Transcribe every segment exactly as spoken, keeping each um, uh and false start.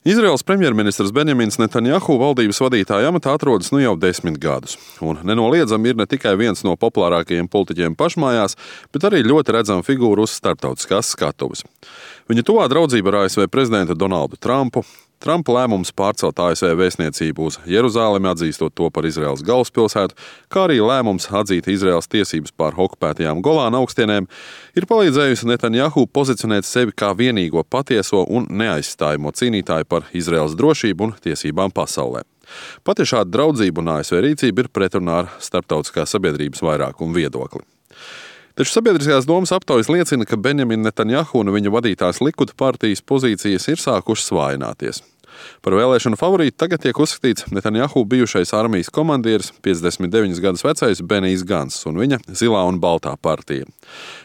Izraēlas premjerministrs Benjamins Netanjahu valdības vadītāja amatā atrodas nu jau desmit gadus. Un nenoliedzami ir ne tikai viens no populārākajiem politiķiem pašmājās, bet arī ļoti redzama figūra uz starptautiskās skatuves. Viņa tuvā draudzība ar A S V prezidentu Donaldu Trumpu, Trumpa lēmums pārcelt A S V vēstniecību uz Jeruzālemi, atzīstot to par Izraēlas galvaspilsētu, kā arī lēmums atzīt Izraēlas tiesības pār okupētajām Golāna augstienēm, ir palīdzējusi Netanjahu pozicionēt sevi kā vienīgo patieso un neaizstājamo cīnītāju par Izraēlas drošību un tiesībām pasaulē. Pat ja šāda draudzība un A S V rīcība ir pretrunā ar starptautiskās sabiedrības vairākumu viedokli. Taču sabiedriskās domas aptaujas liecina, ka Benjamina Netanjahu un viņa vadītās Likuda partijas pozīcijas ir sākušas vājināties. Par vēlēšanu favorītu tagad tiek uzskatīts Netanjahu bijušais armijas komandieris, piecdesmit deviņus gadus vecais Benijs Ganss un viņa Zilā un Baltā partija.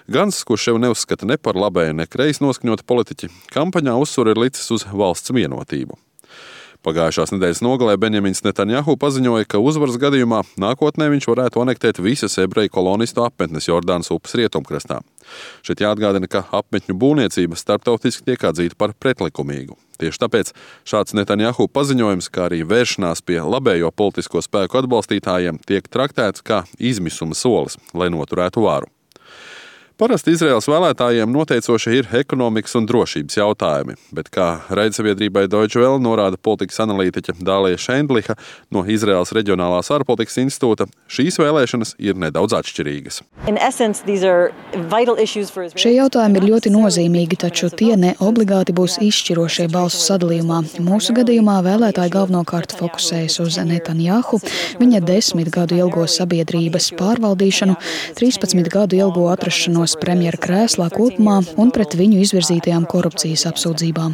Ganss, kurš sev neuzskata ne par labēju, ne kreisi noskaņotu politiķi, kampaņā uzsvaru ir licis uz valsts vienotību. Pagājušās nedēļas nogalē Benjamins Netanjahu paziņoja, ka uzvaras gadījumā nākotnē viņš varētu anektēt visas ebreju kolonistu apmetnes Jordānas upes rietumkrastā. Šeit jāatgādina, ka apmetņu būvniecība starptautiski tiek atzīta par pretlikumīgu. Tieši tāpēc šāds Netanjahu paziņojums, kā arī vēršanās pie labējo politisko spēku atbalstītājiem, tiek traktēts kā izmisuma solis, lai noturētu varu. Parasti Izraēlas vēlētājiem noteicoši ir ekonomikas un drošības jautājumi, bet kā raidsabiedrībai Deutsche Welle norāda politikas analītiķe Dālija Šendliha no Izraēlas Reģionālās ārpolitikas institūta, šīs vēlēšanas ir nedaudz atšķirīgas. Šie jautājumi ir ļoti nozīmīgi, taču tie ne obligāti būs izšķirošie balsu sadalījumā. Mūsu gadījumā vēlētāji galvenokārt fokusējas uz Netanjahu, viņa desmit gadu ilgo sabiedrības pārvaldīšanu, trīspadsmit gadu ilgo atrašanos premjera krēslā kopumā un pret viņu izvirzītajām korupcijas apsūdzībām.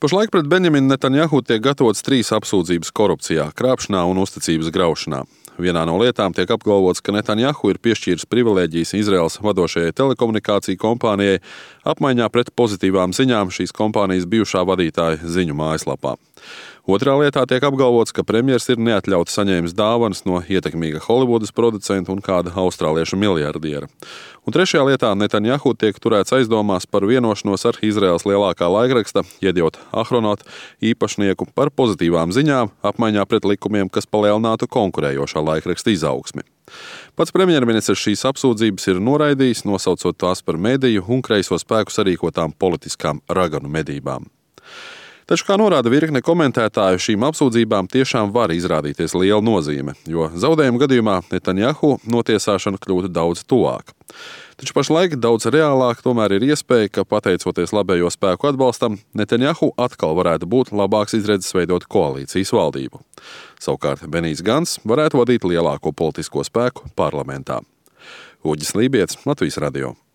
Pašlaik pret Benjaminu Netanjahu tiek gatavotas trīs apsūdzības korupcijā, krāpšanā un uzticības graušanā. Vienā no lietām tiek apgalvots, ka Netanjahu ir piešķīris privilēģijas Izraēlas vadošajai telekomunikāciju kompānijai apmaiņā pret pozitīvām ziņām šīs kompānijas bijušā vadītāja ziņu mājaslapā. Otrā lietā tiek apgalvots, ka premjers ir neatļauti saņēmis dāvanas no ietekmīga Holivudas producenta un kāda austrāliešu miljardiera. Un trešajā lietā Netanjahu tiek turēts aizdomās par vienošanos ar Izraēlas lielākā laikraksta Jediot Ahronot īpašnieku par pozitīvām ziņām apmaiņā pret likumiem, kas palielinātu konkurējošā laikraksta izaugsmi. Pats premjerministrs šīs apsūdzības ir noraidījis, nosaucot tās par mediju un kreiso spēku sarīkotām politiskām raganu medībām. Taču, kā norāda virkne komentētāju, šīm apsūdzībām tiešām var izrādīties liela nozīme, jo zaudējuma gadījumā Netanjahu notiesāšana kļūtu daudz tuvāk. Taču pašlaik daudz reālāk tomēr ir iespēja, ka pateicoties labējo spēku atbalstam, Netanjahu atkal varētu būt labāks izredzes veidot koalīcijas valdību. Savukārt Benijs Ganss varētu vadīt lielāko politisko spēku parlamentā. Uģis Lībietis, Latvijas radio.